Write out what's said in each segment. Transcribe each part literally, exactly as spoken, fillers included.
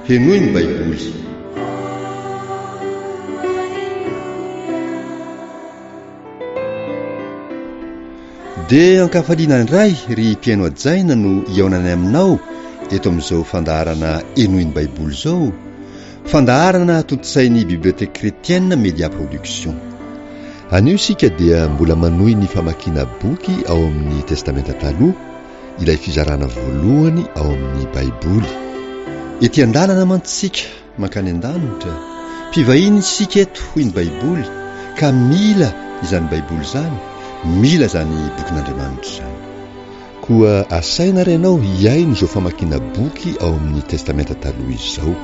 Henoy ny Baiboly. Dia ankafaliana indray ry mpihaino hajaina no hihaonanay aminao eto amin'izao fandaharana Henoy ny Baiboly izao, fandaharana tontosain'ny Bibliothèque Chrétienne Media Production. Anio isika dia mbola manohy ny famakiana boky ao amin'ny Testamenta Taloha, ilay fizarana voalohany ao amin'ny Baiboly. Ety an-dalana mantsy isika mankany an-danitra, mpivahiny isika eto hoy ny Baiboly, ka mila izany Baiboly izany, mila izany bokin'Andriamanitra izany. Koa asaina ary ianao hihaino izao famakiana boky ao amin'ny Testamenta Taloha izao.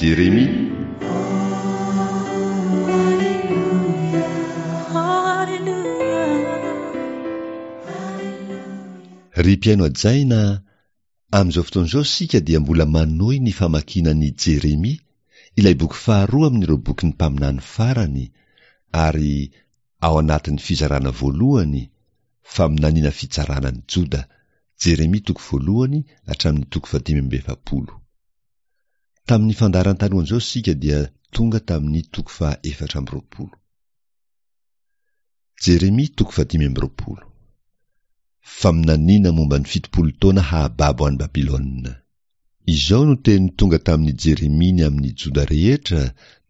Jeremia. Ry mpihaino hajaina, amin'izao fotoana izao isika dia mbola manohy ny famakiana ny Jeremia, ilay boky faharoa amin'ireo bokin'ny mpaminany farany, ary ao anatin'ny fizarana voalohany, faminaniana fitsarana ny Joda, Jeremia toko voalohany hatramin'ny toko fahadimy amby efapolo. Tamin'ny fandaharana talohan'izao isika dia tonga tamin'ny toko faha efatra amby roapolo. Jeremia toko fahadimy amby roapolo. Faminaniana momba ny fitopolo taona hahababo an'i Babylona. Izao no teny tonga tamin'i Jeremia ny amin'i Joda rehetra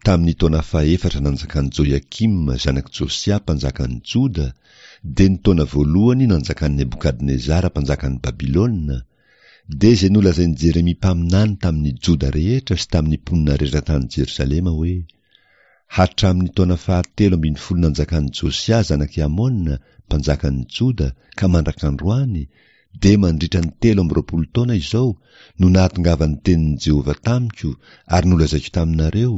tamin'ny taona fahefatra nanjakan'i Joiakima zanak'i Josia mpanjakan'i Joda, dia ny taona voalohany nanjakan'i Nebokadnezara mpanjakan'i Babylona, dia izay nolazain'i Jeremia mpaminany tamin'ny Joda rehetra sy tamin'ny mponina rehetra tany Jerosalema hoe, Hatramin'ny taona fahatelo ambin'ny folo nanjakan'i Josia zanak'i Amona mpanjakan'i Joda ka mandrak'androany, dia mandritra ny telo amby roapolo taona izao no nahatongavan'ny tenin'i Jehovah tamiko ary nolazaiko taminareo,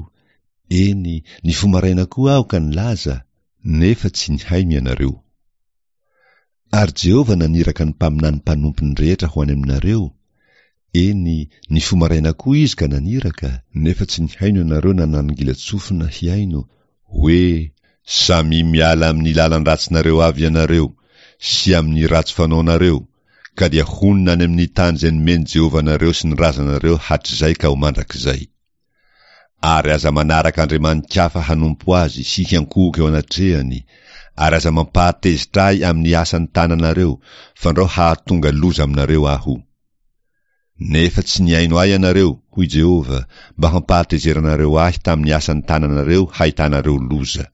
eny, nifoha maraina koa aho ka nilaza, nefa tsy nihaino ianareo. Ary Jehovah naniraka ny mpaminany mpanompony rehetra ho any aminareo, eny, nifoha maraina koa izy ka naniraka, nefa tsy nihaino ianareo na nanongilan-tsofina hihaino, hoe, Samia miala amin'ny lalan-dratsinareo avy ianareo, sy amin'ny ratsy fanaonareo, ka dia honina any amin'ny tany izay nomen'i Jehovah anareo sy ny razanareo hatrizay ka ho mandrakizay. Ary aza manaraka andriamani-kafa hanompo azy sy hiankohoka eo anatrehany, ary aza mampahatezitra ahy amin'ny asan'ny tananareo, fandrao hahatonga loza aminareo aho. Nefa tsy nihaino ahy ianareo, hoy Jehovah, mba hampahatezeranareo ahy tamin'ny asan'ny tananareo hahitanareo loza.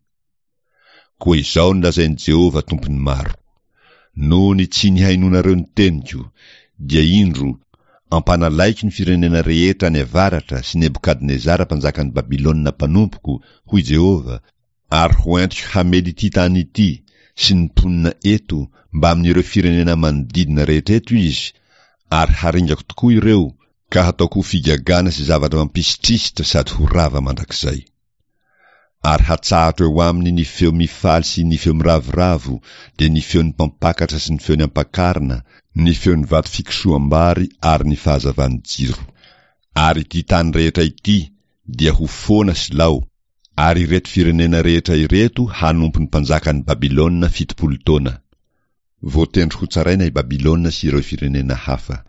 Koa izao no lazain'i Jehovah Tompon'ny maro, Noho ny tsy nihainoanareo ny teniko, dia indro, ampanalaiko ny firenena rehetra any avaratra sy Nebokadnezara mpanjakan'i Babylona mpanompoko, hoy Jehovah, ary hoentiko hamely ity tany ity sy ny mponina eto mbamin'ireo firenena manodidina rehetra eto izy, ary haringako tokoa ireo, ka hataoko ho figagana sy zavatra mampisitrisitra sady ho rava mandrakizay. Ary hatsahatro eo aminy ny feo mifaly sy ny feo miravoravo, dia ny feon'ny mpampakatra sy ny feon'ny ampakarina, ny feon'ny vato fikosoham-bary ary ny fahazavan'ny jiro. Ary ity tany rehetra ity dia ho foana sy lao, ary ireto firenena rehetra ireto hanompo ny mpanjakan'i Babylona fitopolo taona. Voatendry hotsaraina i Babylona sy ireo firenena hafa.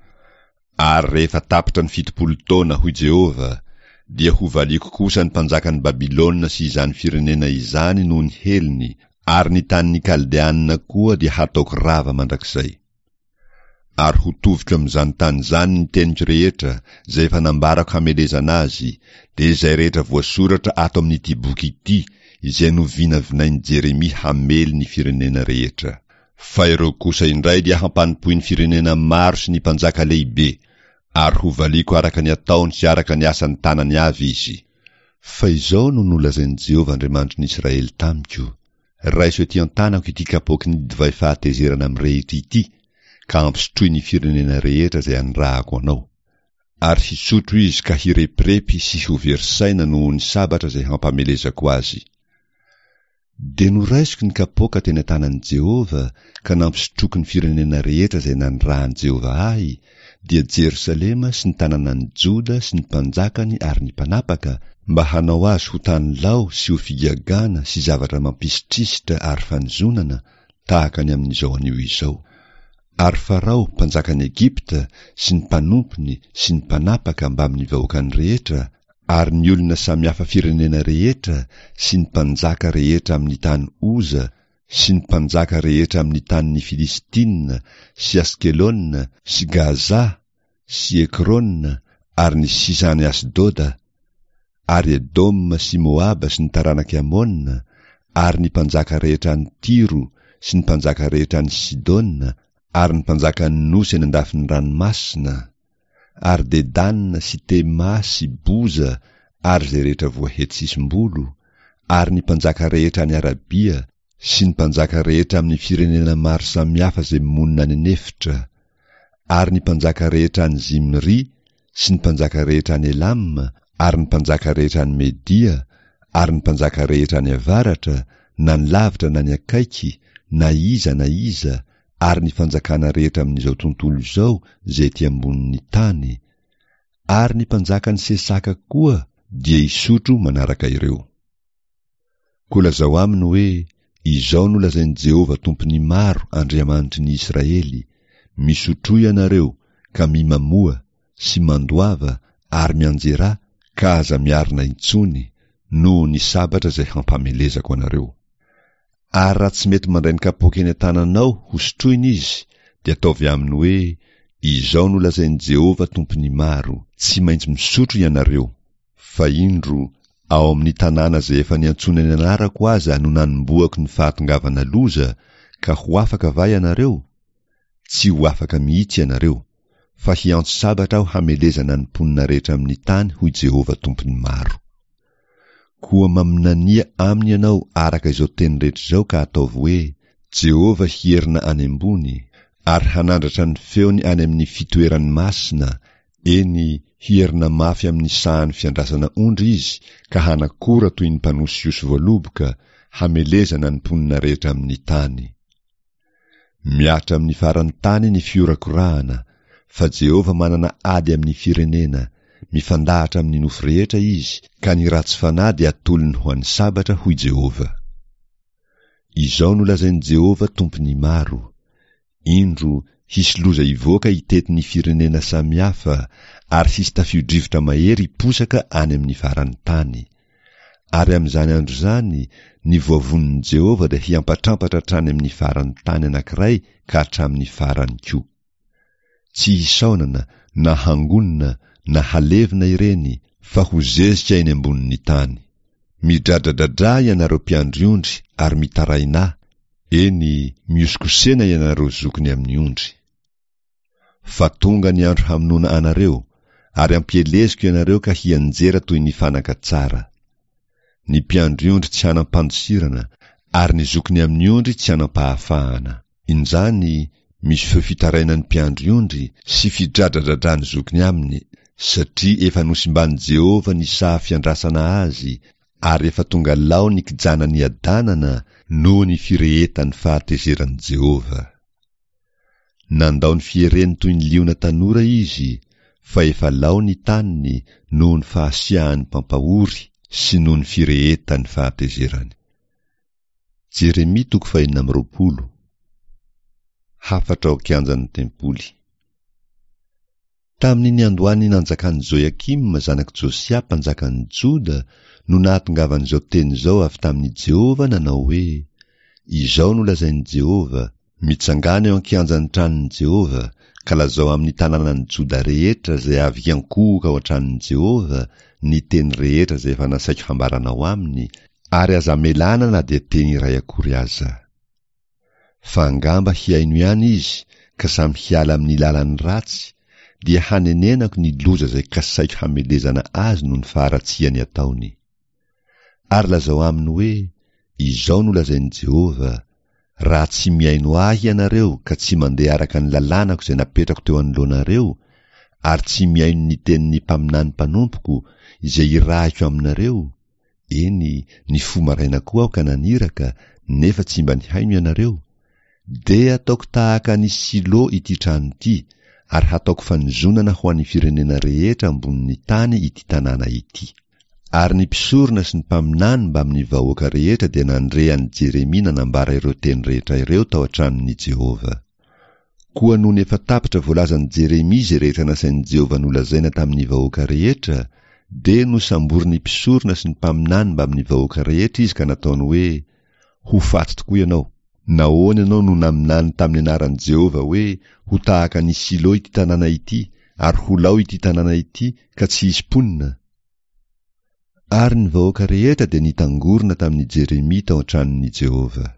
Ary rehefa tapitra ny fitopolo taona, hoy Jehovah, dia hovaliako kosa ny mpanjakan'i Babylona sy izany firenena izany noho ny helony, ary ny tanin'ny Kaldeanina koa dia hataoko rava mandrakizay. Ary hotoviko amin'izany tany izany ny teniko rehetra, izay efa nambarako hamelezana azy, dia izay rehetra voasoratra ato amin'ity boky ity, izay novinavinain'i Jeremia hamely ny firenena rehetra. Fa ireo kosa indray dia hampanompoin'ny firenena maro sy ny mpanjaka lehibe, ary hovaliako araka ny ataony sy araka ny asan'ny tanany avy izy. Fa izao no nolazain'i Jehovah Andriamanitry ny Israely tamiko, Raiso ety an-tanako ity kapoaky ny divay fahatezerana mirehitra ity, ka ampisotroy ny firenena rehetra izay anirahako anao. Ary hisotro izy ka hirepirepy sy ho very saina noho ny sabatra izay hampamelezako azy. Dia noraisiko ny kapoaka teny an-tanan'i Jehovah ka nampisotroiko ny firenena rehetra izay nanirahan'i Jehovah ahy, dia Jerosalema sy ny tanànan'i Joda sy ny mpanjakany ary ny mpanapaka, mba hanao azy ho tany lao sy ho figagana sy zavatra mampisitrisitra ary fanozonana, tahaka ny amin'izao anio izao. Ary Farao, mpanjakan'i Egypta, sy ny mpanompony sy ny mpanapaka mbamin'ny vahoakany rehetra, ary ny olona samihafa firenena rehetra sy ny mpanjaka rehetra amin'ny tany Oza sy ny mpanjaka rehetra amin'ny tanin'ny Filistina sy Askelona sy Gaza sy Ekrona ary ny sisa any Asdoda, ary Edoma sy Moaba sy ny taranak'i Amona, ary ny mpanjaka rehetra any Tyro sy ny mpanjaka rehetra any Sidona, ary ny mpanjakan'ny nosy any an-dafin'ny ranomasina, ary Dedana sy Tema sy Boza ary izay rehetra voahety sisim-bolo, ary ny mpanjaka rehetra any Arabia sy ny mpanjaka rehetra amin'ny firenena maro samihafa izay monina any an'efitra, ary ny mpanjaka rehetra any Zimri sy ny mpanjaka rehetra any Elam, ary ny mpanjaka rehetra any Media, ary ny mpanjaka rehetra any avaratra, na ny lavitra na ny akaiky, na iza na iza, ary ny fanjakana rehetra amin'izao tontolo izao izay ety ambonin'ny tany, ary ny mpanjakan'i Sesaka koa dia hisotro manaraka ireo. Koa lazao aminy hoe, Izao no lazain'i Jehovah Tompon'ny maro, Andriamanitry ny Israely, Misotroa ianareo, ka mimamoa, sy mandoava, ary mianjerà, ka aza miarina intsony, noho ny sabatra izay hampamelezako anareo. Ary raha tsy mety mandray ny kapoaka eny an-tananao hosotroina izy, dia ataovy aminy hoe, Izao no lazain'i Jehovah Tompon'ny maro, Tsy maintsy misotro ianareo. Fa indro, ao amin'ny tanàna izay efa niantsoana ny anarako aza no nanombohako ny fahatongavana loza, ka ho afaka va ianareo? Tsy ho afaka mihitsy ianareo, fa hiantso sabatra aho hamelezana ny mponina rehetra amin'ny tany, hoy Jehovah Tompon'ny maro. Koa maminania aminy ianao araka izao teny rehetra izao ka ataovy hoe, Jehovah hierina any ambony, ary hanandratra ny feony any amin'ny fitoerany masina, eny, hierina mafy amin'ny sahan'ny fiandrasana ondry izy ka hanakora toy ny mpanosihosy voaloboka, hamelezana ny mponina rehetra amin'ny tany. Mihatra amin'ny faran'ny tany ny fihorakorahana, fa Jehovah manana ady amin'ny firenena, mifandahatra amin'ny nofo rehetra izy, ka ny ratsy fanahy dia atolony ho an'ny sabatra, hoy Jehovah. Izao no lazain'i Jehovah Tompon'ny maro, Indro, hisy loza hivoaka hitety ny firenena samihafa, ary hisy tafio-drivotra mahery hiposaka any amin'ny faran'ny tany. Ary amin'izany andro izany, ny voavonin'i Jehovah dia hiampatrampatra hatrany amin'ny faran'ny tany anankiray ka hatramin'ny farany koa. Tsy hisaonana, na hangonina, na halevina ireny, fa ho zezika eny ambonin'ny tany. Midradradradrà ianareo mpiandry ondry ary mitarainà, eny, mihosokosena ianareo zokiny amin'ny ondry. Fa tonga ny andro hamonoana anareo, ary ampieleziko ianareo ka hianjera toy ny fanaka tsara. Ny mpiandry ondry tsy hanam-pandosirana, ary ny zokiny amin'ny ondry tsy hanam-pahafahana. Injany, misy feo fitarainan'ny mpiandry ondry sy fidradradradran'ny zokiny aminy, satria efa nosimban'i Jehovah ny saha fiandrasana azy, ary efa tonga lao ny kijana niadanana noho ny firehetan'ny fahatezeran'i Jehovah. Nandao ny fiereny toy ny liona tanora izy, fa efa lao ny taniny noho ny fahasiahan'ny mpampahory sy noho ny firehetan'ny fahatezerany. Jeremia toko fahenina amby roapolo. Hafatra ao an-kianjan'ny tempoly. Tamin'ny niandohan'ny nanjakan'i Joiakima zanak'i Josia mpanjakan'i Joda no nahatongavan'izao teny izao avy tamin'i Jehovah nanao hoe, Izao no lazain'i Jehovah, Mitsangàna eo an-kianjan'ny tranon'i Jehovah, ka lazao amin'ny tanànan'i Joda rehetra izay avy hiankohoka ao an-tranon'i Jehovah ny teny rehetra izay efa nasaiko hambaranao aminy, ary aza amelana na dia teny iray akory aza. Fa angamba hihaino ihany izy ka samy hiala amin'ny lalany ratsy, dia hanenenako ny loza izay kasaiko hamelezana azy noho ny faharatsiany ataony. Ary lazao aminy hoe, Izao no lazain'i Jehovah, Raha tsy mihaino ahy ianareo ka tsy mandeha araka ny lalànako izay napetrako teo anoloanareo, ary tsy mihaino ny tenin'ny mpaminany mpanompoko izay irahiko aminareo, eny, nifoha maraina koa aho ka naniraka, nefa tsy mba nihaino ianareo, dia hataoko tahaka an'i Silo ity trano ity, ary hataoko fanozonana ho an'ny firenena rehetra ambonin'ny tany ity tanàna ity. Ary ny mpisorona sy ny mpaminany mbamin'ny vahoaka rehetra dia nandre an'i Jeremia nanambara ireo teny rehetra ireo tao an-tranon'i Jehovah. Koa nony efa tapitra voalazan'i Jeremia izay rehetra nasain'i Jehovah nolazaina tamin'ny vahoaka rehetra, dia nosamborin'ny mpisorona sy ny mpaminany mbamin'ny vahoaka rehetra izy ka nataony hoe, Ho faty tokoa ianao! Nahoana ianao no naminany tamin'ny anaran'i Jehovah hoe, Ho tahaka an'i Silo ity tanàna ity, ary ho lao ity tanàna ity, ka tsy hisy mponina? Ary ny vahoaka rehetra dia nitangorona tamin'i Jeremia tao an-tranon'i Jehovah.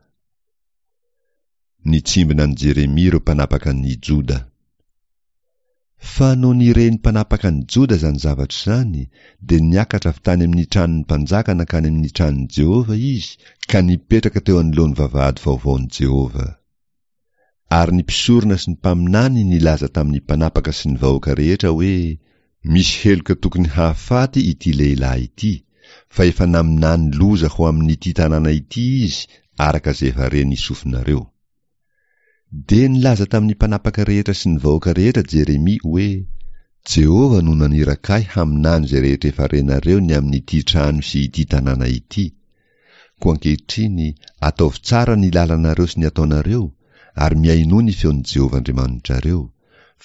Nitsimbina an'i Jeremia ireo mpanapaka an'i Joda. Fa nony ren'ny mpanapaka an'i Joda izany zavatra izany, dia niakatra avy tany amin'ny tranon'ny mpanjaka nankany amin'ny tranon'i Jehovah izy ka nipetraka teo anoloan'ny vavahady vaovaon'i Jehovah. Ary ny mpisorona sy ny mpaminany nilaza tamin'ny mpanapaka sy ny vahoaka rehetra hoe, Misy heloka tokony hahafaty ity lehilahy ity, fa efa naminany loza ho amin'ity tanàna ity izy araka izay efa ren'ny sofinareo. Dia nilaza tamin'ny mpanapaka rehetra sy ny vahoaka rehetra Jeremia hoe, Jehovah no naniraka ahy haminany izay rehetra efa renareo ny amin'ity trano sy ity tanàna ity. Koa ankehitriny, ataovy tsara ny lalanareo sy ny ataonareo, ary mihainoa ny feon'i Jehovah Andriamanitrareo,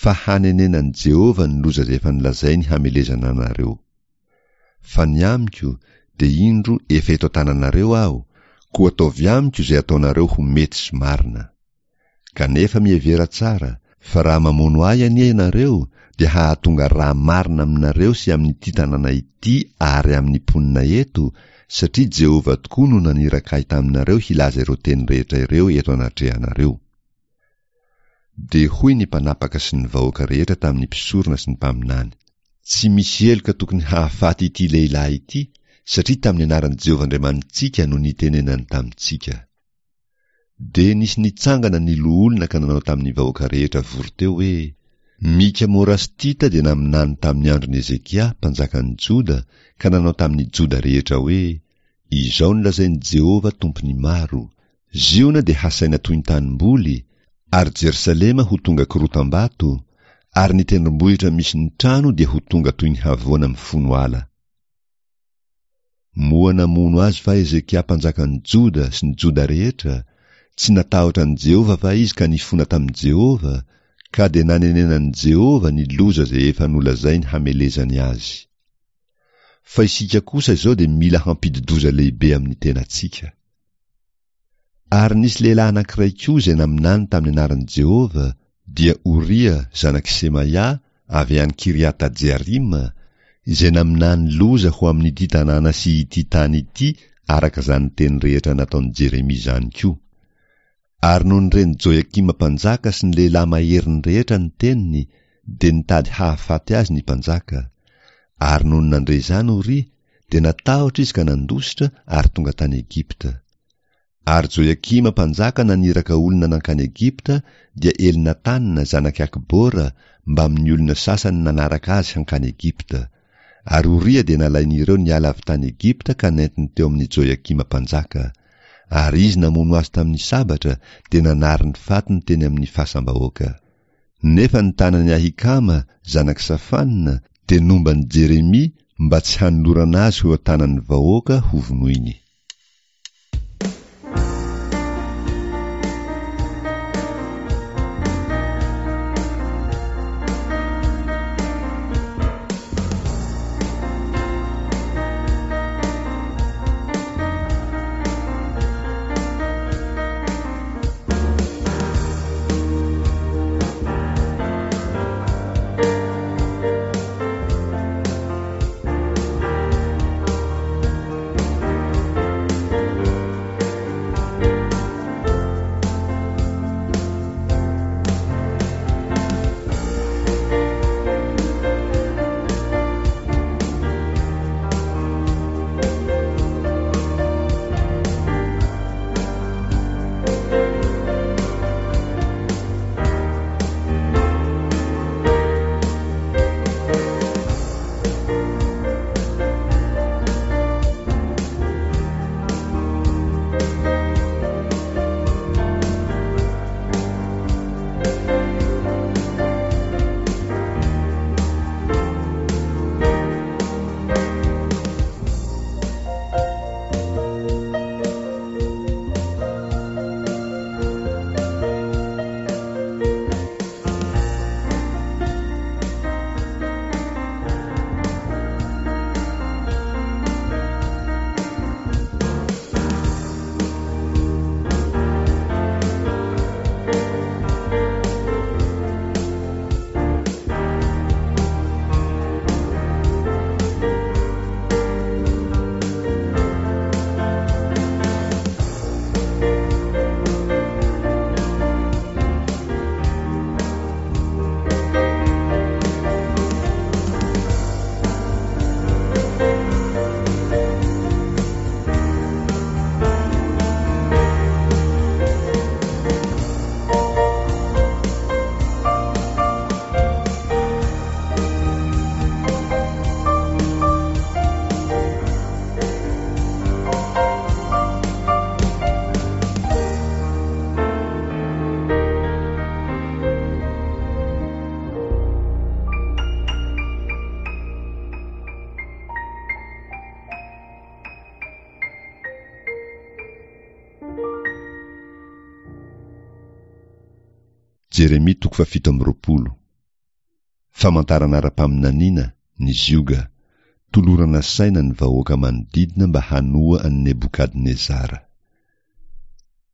fa hanenenan'i Jehovah ny loza izay efa nolazainy hamelezana anareo. Fa ny amiko, dia indro efa eto an-tananareo aho, koa ataovy amiko izay ataonareo ho mety sy marina. Kanefa mihevera tsara, fa raha mamono ahy anie ianareo, dia hahatonga rà marina aminareo sy amin'ity tanàna ity ary amin'ny mponina eto, satria Jehovah tokoa no naniraka ahy taminareo hilaza ireo teny rehetra ireo eto anatrehanareo. Dia hoy ny mpanapaka sy ny vahoaka rehetra tamin'ny mpisorona sy ny mpaminany, Tsy misy heloka tokony hahafaty ity lehilahy ity, satria tamin'ny anaran'i Jehovah Andriamanitsika no nitenenany tamintsika. Dia nisy nitsangana ny loholona ka nanao tamin'ny vahoaka rehetra vory teo hoe, Mika Morastita dia naminany tamin'ny andron'i Hezekia, mpanjakan'ny Joda, ka nanao tamin'ny Joda rehetra hoe, Izao no lazain'i Jehovah Tompon'ny maro, Ziona dia hasaina toy ny tanimboly, ary Jerosalema ho tonga korotam-bato, ary ny tendrombohitra misy ny trano dia ho tonga toy ny havoana mifono ala. Moa namono azy va Hezekia mpanjakan'ny Joda sy ny Joda rehetra? Tsy natahotra an'i Jehovah va izy ka nifona tamin'i Jehovah, ka dia nanenenan'i Jehovah ny loza izay efa nolazainy hamelezany azy? Fa isika kosa izao dia mila hampidi-doza lehibe amin'ny tenantsika. Ary nisy lehilahy anankiray koa izay naminany tamin'ny anaran'i Jehovah, dia Oria, zanak'i Semaia, avy any Kiriata-jearima, izay naminany loza ho amin'ity tanàna sy ity tany ity araka izany teny rehetra nataon'i Jeremia izany koa. Ary nony ren'i Joiakima mpanjaka sy ny lehilahy maheriny rehetra ny teniny, dia nitady hahafaty azy ny mpanjaka. Ary nony nandre izany Oria, dia natahotra izy ka nandositra ary tonga tany Egypta. Ary Joiakima mpanjaka naniraka olona nankany Egypta, dia Elnatana, zanak'i Akbora, mbamin'ny olona sasany nanaraka azy hankany Egypta. Ary Oria dia nalain'ireo niala avy tany Egypta ka nentiny teo amin'i Joiakima mpanjaka. Ary izy namono azy tamin'ny sabatra, dia nanary ny fatiny teny amin'ny fasam-bahoaka. Nefa ny tanan'i Ahikama, zanak'i Safana, dia nomba an'i Jeremia mba tsy hanolorana azy ho eo an-tanan'ny vahoaka hovonoiny. Jeremia toko fahafito amby roapolo. Famantarana ara-paminaniana, ny zioga. Tolorana saina ny vahoaka manodidina mba hanoa an'i Nebokadnezara.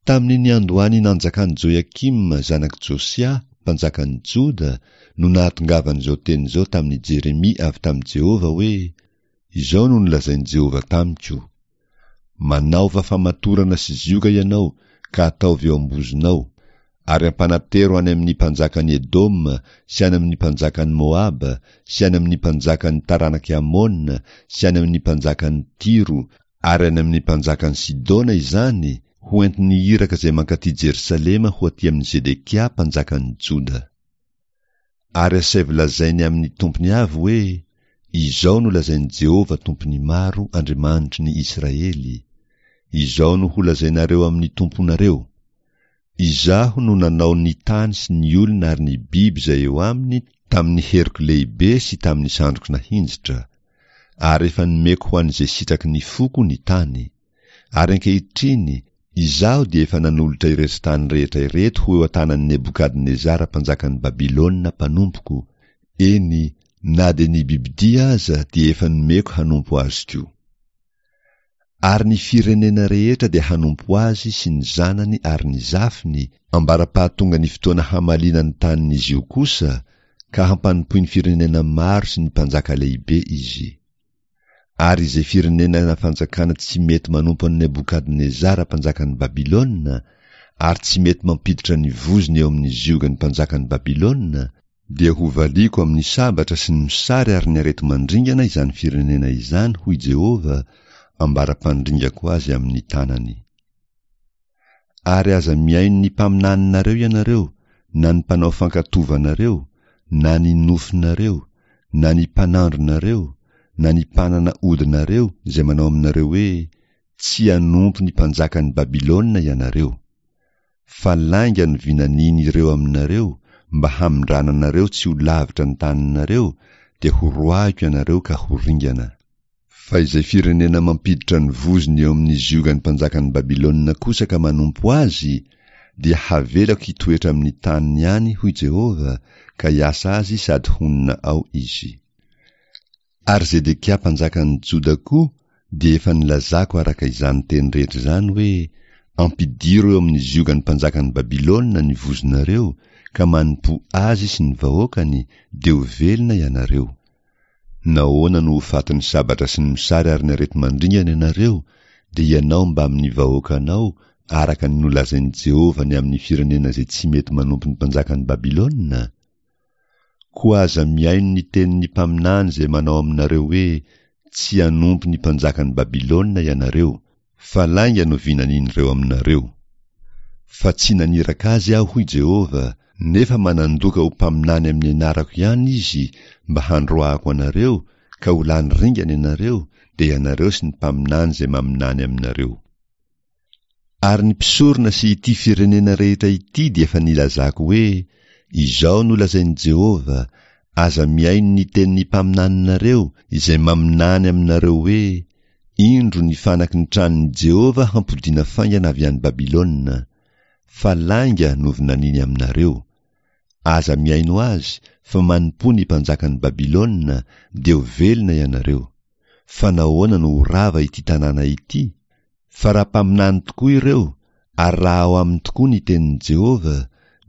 Tamin'ny niandohan'ny nanjakan'i Joiakima zanak'i Josia, mpanjakan'i Joda, no nahatongavan'izao teny izao tamin'i Jeremia avy tamin'i Jehovah hoe, Izao no nolazain'i Jehovah tamiko, Manaova famatorana sy zioga ianao ka ataovy eo am-bozonao, ary ampanatero any amin'ny mpanjakan'i Edoma sy any amin'ny mpanjakan'i Moaba sy any amin'ny mpanjakan'ny taranak'i Amona sy any amin'ny mpanjakan'i Tyro ary any amin'ny mpanjakan'i Sidona izany, ho entin'ny iraka izay mankaty Jerosalema ho aty amin'i Zedekia mpanjakan'i Joda. Ary asaivo lazainy amin'ny tompony avy hoe, Izao no lazain'i Jehovah Tompon'ny maro, Andriamanitry ny Israely, Izao no holazainareo amin'ny tomponareo, Izaho no nanao ny tany sy ny olona ary ny biby izay eo aminy tamin'ny heriko lehibe sy tamin'ny sandriko nahinjitra, ary efa nomeko ho an'izay sitraky ny foko ny tany. Ary ankehitriny, Izaho dia efa nanolotra ireto tany rehetra ireto ho eo an-tanan'i Nebokadnezara mpanjakan'i Babylona mpanompoko, eny, na dia ny bibidia aza dia efa nomeko hanompo azy koa. Ary ny firenena rehetra dia hanompo azy sy ny zanany ary ny zafiny, ambara-pahatonga ny fotoana hamaliana ny tanin'izy io kosa, ka hampanompoin'ny firenena maro sy ny mpanjaka lehibe izy. Ary izay firenena na fanjakana tsy mety manompo an'i Nebokadnezara mpanjakan'i Babylona, ary tsy mety mampiditra ny vozony eo amin'ny ziogan'ny mpanjakan'i Babylona, dia hovaliako amin'ny sabatra sy ny mosary ary ny areti-mandringana izany firenena izany, hoy Jehovah, ambara-pandringako azy amin'ny tanany. Ary aza mihaino ny mpaminaninareo ianareo, na ny mpanao fankatovanareo, na ny nofinareo, na ny mpanandronareo, na ny mpanana odinareo izay manao aminareo hoe, Tsy hanompo ny mpanjakan'i Babylona ianareo. Fa lainga no vinanian'ireo aminareo mba hamindrana anareo tsy ho lavitra ny taninareo, dia horoahiko ianareo ka ho ringana. Fa izay firenena mampiditra ny vozony eo amin'ny ziogan'ny mpanjakan'i Babylona kosa ka manompo azy, dia havelako hitoetra amin'ny taniny ihany, hoy Jehovah, ka hiasa azy sady honina ao izy. Ary Zedekia mpanjakan'ny Joda koa dia efa nilazako araka izany teny rehetra izany hoe, Ampidiro eo amin'ny ziogan'ny mpanjakan'i Babylona ny vozonareo, ka manompoa azy sy ny vahoakany, dia ho velona ianareo. Nahoana no ho fatin'ny sabatra sy ny mosary ary ny areti-mandringana ianareo, dia ianao mbamin'ny vahoakanao, araka ny nolazain'i Jehovah ny amin'ny firenena izay tsy mety manompo ny mpanjakan'i Babylona? Koa aza mihaino ny tenin'ny mpaminany izay manao aminareo hoe, Tsy hanompo ny mpanjakan'i Babylona ianareo, fa lainga no vinanin'ireo aminareo. Fa tsy naniraka azy Aho, hoy Jehovah, nefa manandoka ho mpaminany amin'ny anarako ihany izy mba handroahako anareo, ka ho lany ringana ianareo, dia ianareo sy ny mpaminany izay maminany aminareo. Ary ny mpisorona sy ity firenena rehetra ity dia efa nilazako hoe, Izao no lazain'i Jehovah, Aza mihaino ny tenin'ny mpaminaninareo izay maminany aminareo hoe, Indro ny fanaky ny tranon'i Jehovah hampodiana faingana avy any Babylona. Fa lainga no vinaniny aminareo. Aza mihaino azy, fa manompoa ny mpanjakan'i Babylona, dia ho velona ianareo. Fa nahoana no ho rava ity tanàna ity? Fa raha mpaminany tokoa ireo, ary raha ao aminy tokoa ny tenin'i Jehovah,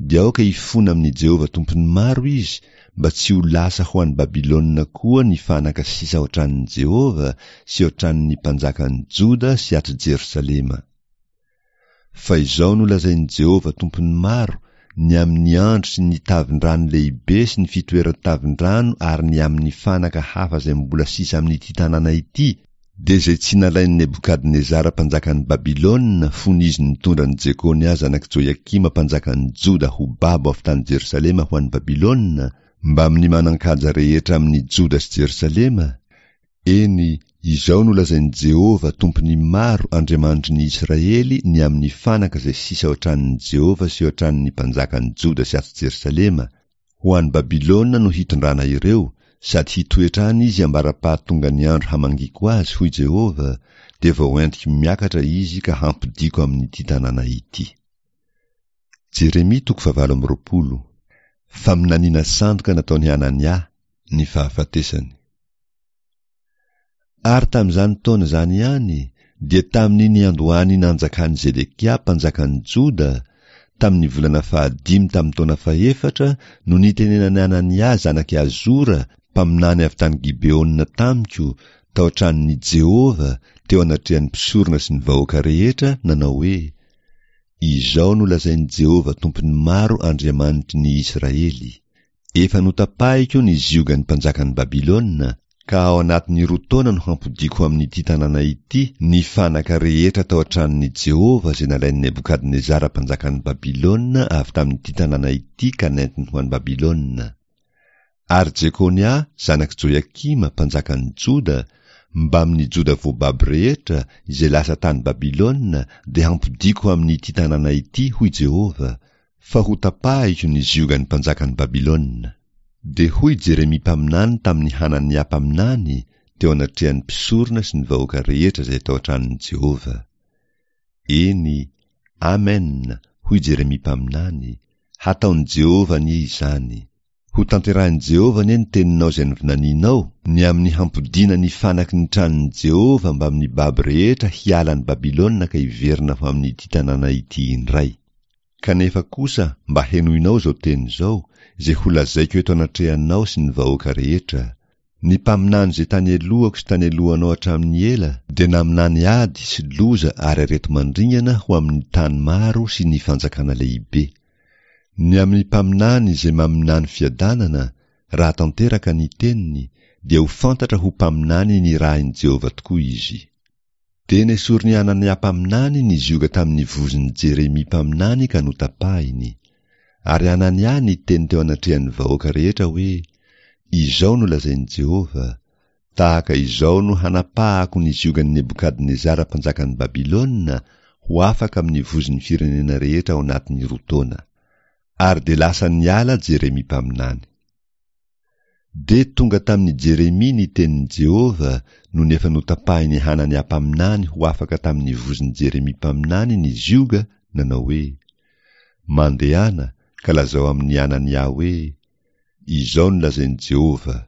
dia aoka hifona amin'i Jehovah Tompon'ny maro izy, mba tsy ho lasa ho any Babylona koa ny fanaka sisa ao an-tranon'i Jehovah sy ao an-tranon'ny mpanjakan'i Joda sy ato Jerosalema. Fa izao no lazain'i Jehovah Tompon'ny maro, ny amin'ny andro sy ny tavin-drano lehibe sy ny fitoeran-tavin-drano ary ny amin'ny fanaka hafa izay mbola sisa amin'ity tanàna ity, dia izay tsy nalain'i Nebokadnezara mpanjakan'i Babylona fony izy nitondra an'i Jekonia zanak'i Joiakima mpanjakan'i Joda ho babo avy tany Jerosalema ho any Babylona, mbamin'ny manan-kaja rehetra amin'i Joda sy Jerosalema, eny, izao no lazain'i Jehovah Tompon'ny maro Andriamanitry ny Israely ny amin'ny fanaka izay sisa ao an-tranon'i Jehovah sy ao an-tranon'ny mpanjakan'i Joda sy ato Jerosalema, Ho any Babylona no hitondrana ireo, sady hitoetra any izy ambara-pahatongan'ny andro hamangiako azy, hoy Jehovah, dia vao entiko miakatra izy ka hampodiako amin'ity tanàna ity. Jeremia toko fahavalo amby roapolo. Faminaniana sandoka nataon'i Hanania, ny fahafatesany. Ary tamin'izany taona izany ihany, dia tamin'ny niandohan'ny nanjakan'i Zedekia mpanjakan'i Joda, tamin'ny volana fahadimy tamin'ny taona fahefatra no nitenenan'i Hanania zanak'i Azora, mpaminany avy tany Gibeona tamiko, tao an-tranon'i Jehovah, teo anatrehan'ny mpisorona sy ny vahoaka rehetra, nanao hoe, Izao no lazain'i Jehovah Tompon'ny maro Andriamanitry ny Israely, Efa notapahiko ny ziogan'ny mpanjakan'i Babylona, ka ao anatin'ny roa taona no hampodiako ho amin'ity tanàna ity ny fanaka rehetra tao an-tranon'i Jehovah izay nalain'i Nebokadnezara mpanjakan'i Babylona avy tamin'ity tanàna ity ka nentiny ho any Babylona. Ary Jekonia zanak'i Joiakima mpanjakan'i Joda, mbamin'ny Joda voababo rehetra izay lasa tany Babylona dia hampodiako ho amin'ity tanàna ity, hoy Jehovah, fa hotapahiko ny ziogan'ny mpanjakan'i Babylona. Dia hoy Jeremia mpaminany tamin'i Hanania mpaminany teo anatrehan'ny mpisorona sy ny vahoaka rehetra izay tao an-tranon'i Jehovah. Eny, Amen, hoy Jeremia mpaminany, hataon'i Jehovah anie izany. Hotanterahin'i Jehovah anie ny teninao izay novinaninao, ny amin'ny hampodiana ny fanaky ny tranon'i Jehovah mbamin'ny babo rehetra hiala an'i Babylona ka hiverina ho amin'ity tanàna ity indray. Kanefa kosa mba henoinao izao teny izao, izay holazaiko eto anatrehanao sy ny vahoaka rehetra, Ny mpaminany izay tany alohako sy tany alohanao hatramin'ny ela dia naminany ady sy loza ary areti-mandringana ho amin'ny tany maro sy ny fanjakana lehibe. Ny amin'ny mpaminany izay maminany fiadanana, raha tanteraka ny teniny, dia ho fantatra ho mpaminany nirahin'i Jehovah tokoa izy. Dia nesorin'i Hanania mpaminany ny zioga tamin'ny vozon'i Jeremia mpaminany ka notapahiny. Ary Hanania niteny teo anatrehan'ny vahoaka rehetra hoe, Izao no lazain'i Jehovah, Tahaka izao no hanapahako ny ziogan'i Nebokadnezara mpanjakan'i Babylona ho afaka amin'ny vozon'ny firenena rehetra ao anatin'ny roa taona. Ary dia lasa niala Jeremia mpaminany. Dia tonga tamin'i Jeremia ny tenin'i Jehovah nony efa notapahin'i Hanania mpaminany ho afaka tamin'ny vozon'i Jeremia mpaminany ny zioga, nanao hoe, Mandehana ka lazao amin'i Hanania hoe, Izao no lazain'i Jehovah,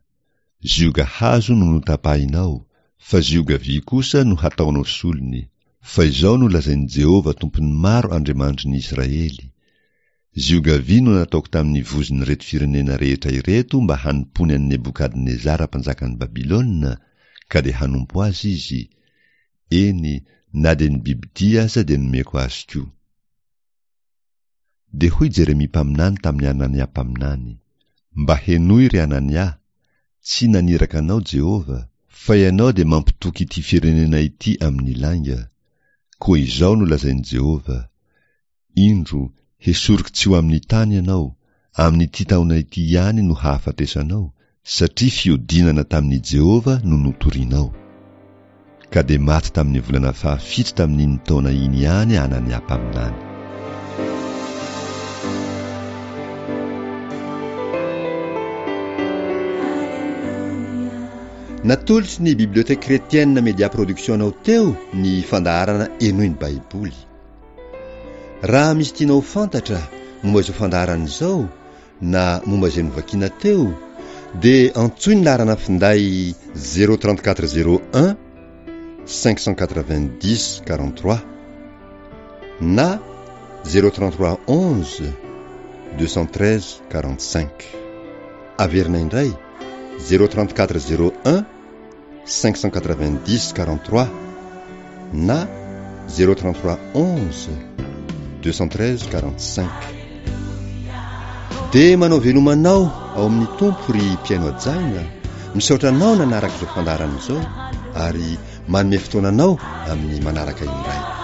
Zioga hazo no notapahinao, fa zioga vy kosa no hataonao solony. Fa izao no lazain'i Jehovah Tompon'ny maro Andriamanitry ny Israely, Zioga vy no nataoko tamin'ny vozon'ireto firenena rehetra ireto mba hanompoany an'i Nebokadnezara mpanjakan'i Babylona, ka dia hanompo azy izy, eny, na dia ny bibidia aza dia nomeko azy koa. Dia hoy Jeremia mpaminany tamin'i Hanania mpaminany, Mba henoy, ry Hanania, tsy naniraka anao Jehovah, fa ianao dia mampitoky ity firenena ity amin'ny lainga. Koa izao no lazain'i Jehovah, Indro, hesoriko tsy ho amin'ny tany ianao, amin'ity taona ity ihany no hahafatesanao, satria fiodinana tamin'i Jehovah no notorinao. Ka dia maty tamin'ny volana fahafito tamin'iny taona iny ihany Hanania mpaminany. Natolotry ny Bibliothèque Chrétienne Media Production anao teo ny fandaharana Henoy ny Baiboly. Raha misy tianao ho fantatra momba izao fandaharana izao na momba izay novakiana teo dia antsoy ny laharana finday zéro trente quatre zéro un cinq cent quatre-vingt-dix quarante-trois na zéro trente-trois onze deux cent treize quarante-cinq. Averina indray zéro trente-quatre zéro un cinq cent quatre-vingt-dix quarante-trois na zéro trente-trois onze deux cent treize quarante-cinq. Dia manao veloma anao ao amin'ny Tompo ry mpihaino hajaina, misaotra anao nanaraka izao fandaharana izao ary manome fotoana anao amin'ny manaraka indray.